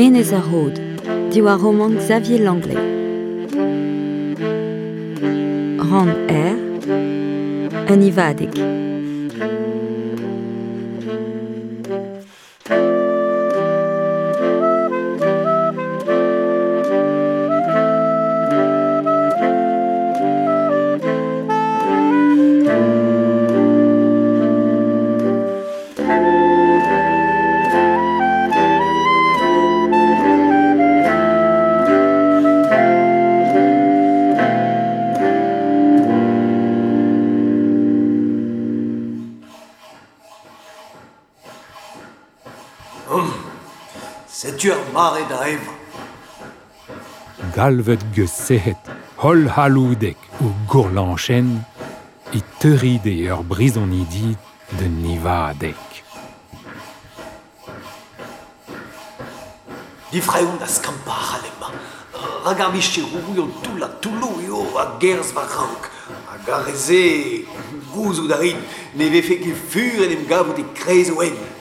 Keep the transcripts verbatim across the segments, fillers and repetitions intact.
Enez ar Rod, diwar romant Xavier Langlais. Rann R, un ivadeg. Setu ar mare da evañ. Galvet geus sec'hed holl c'halloudek o gourlañchenn e teuride ur brizonidi d'un ivadeg. Difraeont da skampañ ac'halemañ. Rak ar micherourion toull ha toulloù eo a gerzh war-raok. Hag ar re-se, gouzout a rit, ne vefe ket fur en em gavout e-kreiz o hent.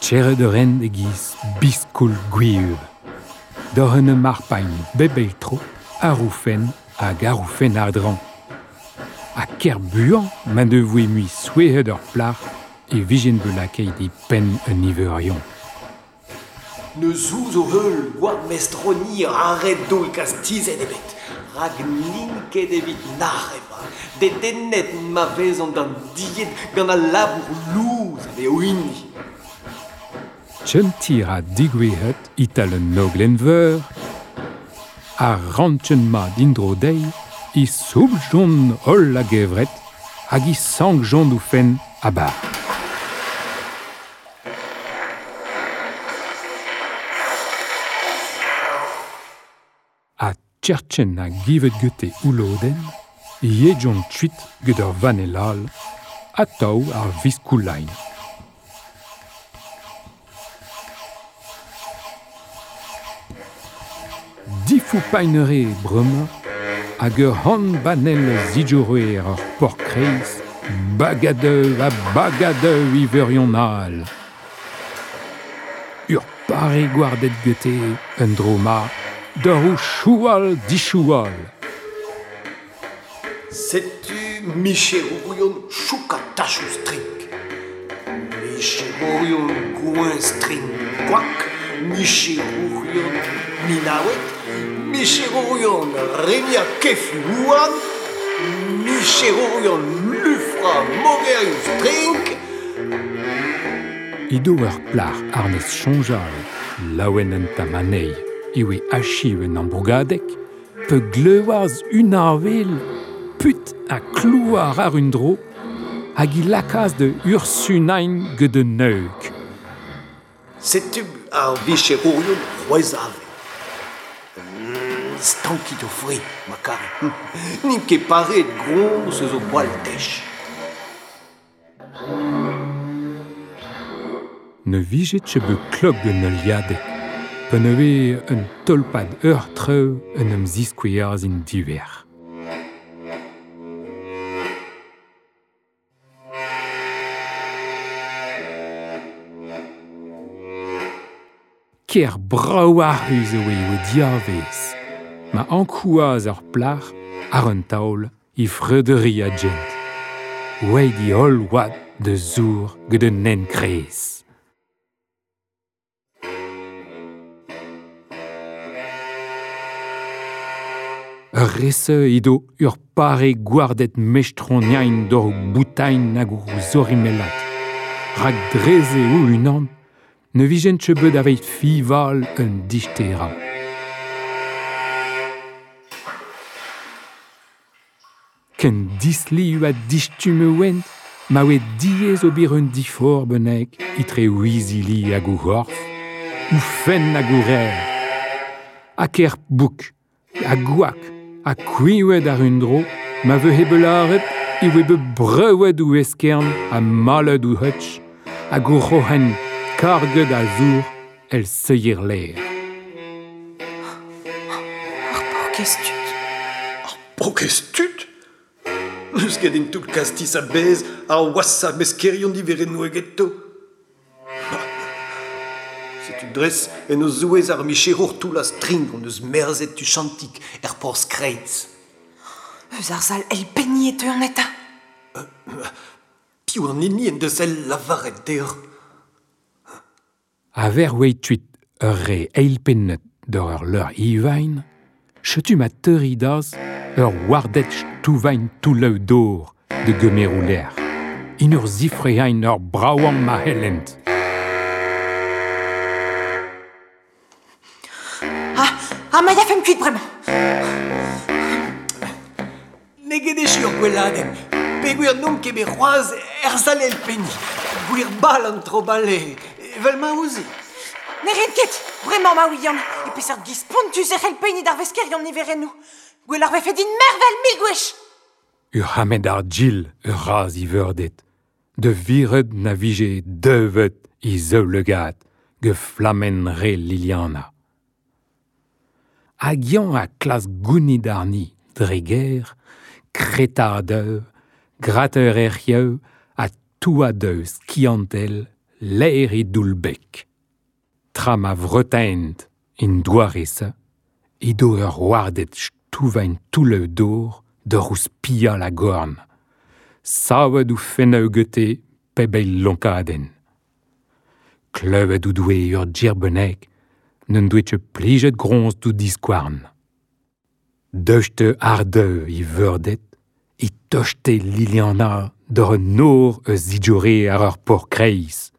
Tcherret ur hent e-giz biskoul gwir. D'ur un marpagn bep eil tro, ar oufen hag ar oufen a-dreñv. Ha ker buan ma ne voe mui souezhet ur plac'h e vijen bet lakaet e penn un niveurion. Ne zouz o heul gwad mestroni arret doull kastizet ebet. Rak n'int ket evit nac'h emañ. Dedennet ma vezont d'an died gant al labour louz a vez o hini. Tchentir a digouezhet e-tal un oglenn-veur, ar rantchen ma dindro dezhi e soubljont holl a-gevret hag e sankjont o fenn a-bar. Ha tcherchen a givet gete oulodenn, e yejont kuit get ur vanell all, atav ar viskoulain. Difoupainere bremañ hag ur c'hant banell zidjoroer ur porc'h-kreiz, bagadeu ha bagadeu iveurion all. Ur pare gwarded gete un dro ma, d'ur o choual dichoual. Setu micherourion choukatachoù strink. Micherourion gouin strink gwak, micherourion minaouet, micherourion remia kefu houarn, micherourion lufra mogerioù strink. Edo ur plac'h arnez soñjal, laouen en tamanei, e oe achiv un ambrougadeg, pe gleuaz un avel, put ha klouar ar un dro, hag i lakaas de ursunain get un neuk. Setu ar vicherourion c'hwezh-avel. Stankit o fri, ma kare. N'int ket pareet groñs eus o gwall tech. Ne vije ket bet klok un heuliadeg, pa ne vez un tolpad ur treu en em ziskouezh in diver. Ker brav ac'hus eo eo diavez, ma ankouaz ur plac'h ar un taol e freuderi a gent. Oaet i holl oad de zour get un enkrez. Ur rese edo ur pare gwarded mestroniain d'ur boutain hag o zorimellat. Rak dreze o unan, ne vijen ket bet aveit fival un disterañ. Ken disliv ha distumm e oent, ma oe diaes ober un diforc'h bennak etre o izili hag o c'horf, o fenn hag o reer. Ha ker bouk, ha gwak, ha kwiñvet ar un dro, ma veze bet lâret e oe bet breuet o eskern ha malet o hutch, hag o c'hroc'hen karget a zour el seier lêr. Ar paourkaezh tud. Ar paourkaezh tud ? N'eus ket en toull kastiz a-bezh ar washañ meskerion diverennoù egeto. Setu dres en o zouez ar micherour toull a strink on eus merzet tuchantik er porzh kreiz. Eus ar sal elpenni e teu an eta. Euh, piv an hini en deus el lavaret deoc'h. A ver oe tuit ur re eilpennet d'ur ur leur ivain, chetu ma teuridaz ur wardet stouvain toulleu d'or de gemerouler. In ur zifrehain ur braouan ma hellent. Ah, ah ma yafem kuit bremañ. N'eo ket echu ur gweladenn. Peogwir n'omp ket bet c'hoazh er sal elpenni. Gwir bal an tro-bale, evel ma ouzi. Ne rin ket, bremañ ma ouian, e peseurt giz spontus e c'hell penni d'ar veskerion niverennoù. Gwell ar vefe din mervel mil gwech. Ur c'hammed ar gil ur raz i veurdet. De viret na vije deuvet i zeulegad ge flamen re Liliana. Hag yañ a klas gounid arni dre ger, kretadeu, grateur erc'hieu ha touadeu skiantel l'aer e doulbek. Tra ma vretaent in doare-se, edo ur wardet stouvain toulleu d'or d'ur ouzh pia la gorn. Savet ou fenneu gete pebel lonkadenn. Kleuvet ou doue ur djirbeneg, n'en doe ket plijet groñs d'ou diskouarn. Deuchte ardeu i veurdet, i tochte Liliana d'ur un nor eus zidjore ar ur por kreiz.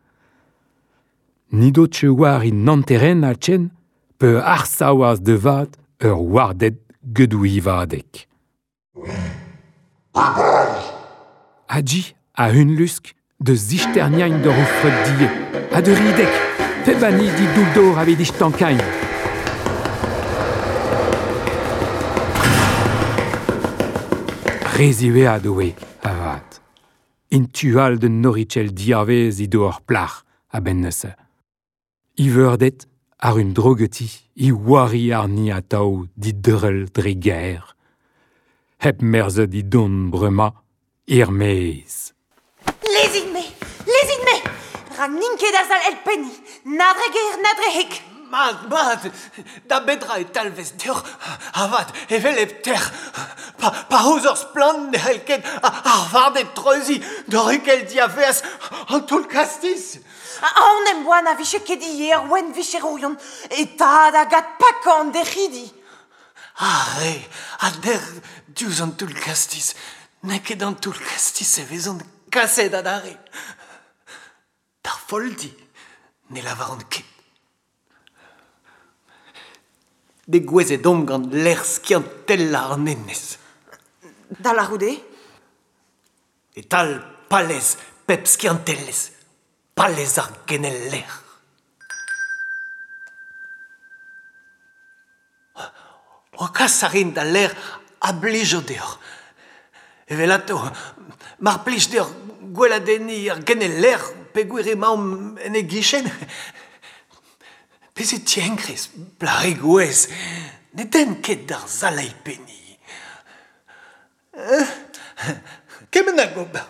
Nido che war i nanteren a chen, pe arsaouaz de vat ur wardet gedou ivadek. Adji a un lusk de zichterniain d'ur oufret die, a de ridek, pebani di douldor ave dichtankain. Reziwead oe, avat. In tual de norichel diavez i do ur plac'h a ben neuze. I veurdet ar un drogeti i wari ar ni atao di deurel dre gaer. Hep merzet i don brema, ir mez. Lezit-me, lezit-me! Rak n'in ket ar sal elpenni, na dre ger, na dre hek. Mat, mat, da bedra e talvez deoc'h, avat, evel hep ter. Pa, pa ouz ur splann ne c'hell ket ar vardet treuzi d'ur kel diaveaz an toull kastiz. An em boa na vije ket ivez ur wenn vicherourion, e tad hag ad pakañ an dec'hidi. Ar re, a der diouzh an toull kastiz, n'eo ket an toull kastiz e vezont kaset adarre. D'ar foldi, ne lavaran ket. Degouezhet omp gant lec'h skiantellañ an enez. Da lârout eo ? E-tal palez pep skiantelezh, palez ar genel-lec'h. O kas a rin da lec'h a blijo deoc'h. Evelato, mar plij deoc'h gweladenniñ ar genel-lec'h peogwir emaomp en e gichen. Bezit tienkrez, plac'hig gouez, ne den ket d'ar sal elpenni. Euh, kement hag ober.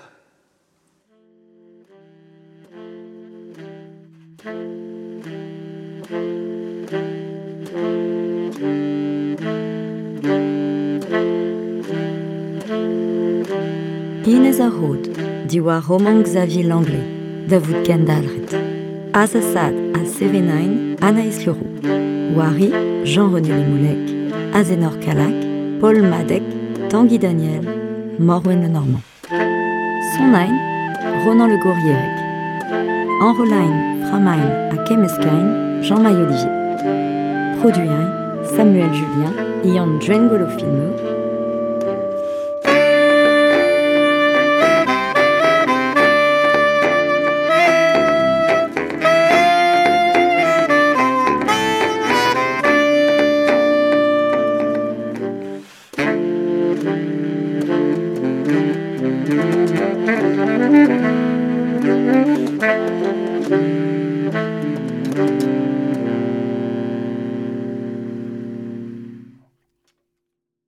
Inez ar Rod, diwar roman Xavier Langlais, da vout kendalc'het. Azasad ha Sevenain, Anaïs Leroux. Wari, Jean-René Lemoulec, Azenor Kalak, Paul Madec, Tanguy Daniel, Morwen Lenormand. Sonain, Ronan Le Gourrierec. Enrolain, Framain ha Kemmeskain, Jean-Maï Olivier. Produiain, Samuel Julien, Ian Djengolo Filmeux. Thank you.